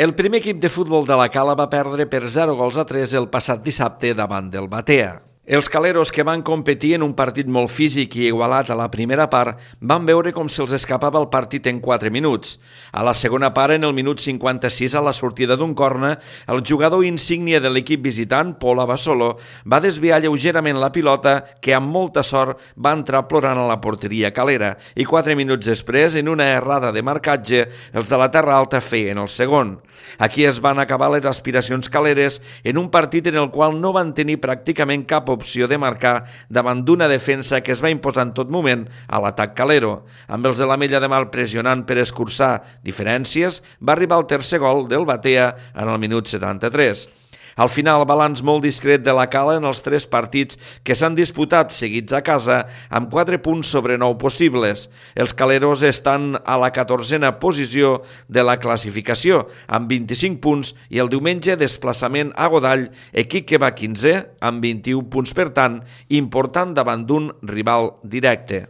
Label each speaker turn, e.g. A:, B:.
A: El primer equip de futbol de la Cala va perdre per 0-3 el passat dissabte davant del Batea. Els caleros, que van competir en un partit molt físic i igualat a la primera part, van veure com se'ls escapava el partit en 4 minuts. A la segona part, en el minut 56, a la sortida d'un corna, el jugador insígnia de l'equip visitant, Pol Abassolo, va desviar lleugerament la pilota, que amb molta sort va entrar plorant a la porteria calera, i 4 minuts després, en una errada de marcatge, els de la Terra Alta feien el segon. Aquí es van acabar les aspiracions caleres en un partit en el qual no van tenir pràcticament cap opció de marcar davant d'una defensa que es va imposar en tot moment a l'atac calero. Amb els de la Mella de Mar pressionant per escurçar diferències, va arribar el tercer gol del Batea en el minut 73. Al final, balanç molt discret de la Cala en els 3 partits que s'han disputat seguits a casa, amb 4 punts sobre 9 possibles. Els caleros estan a la 14a posició de la classificació, amb 25 punts, i el diumenge desplaçament a Godall, equip que va 15è, amb 21 punts, per tant, important davant d'un rival directe.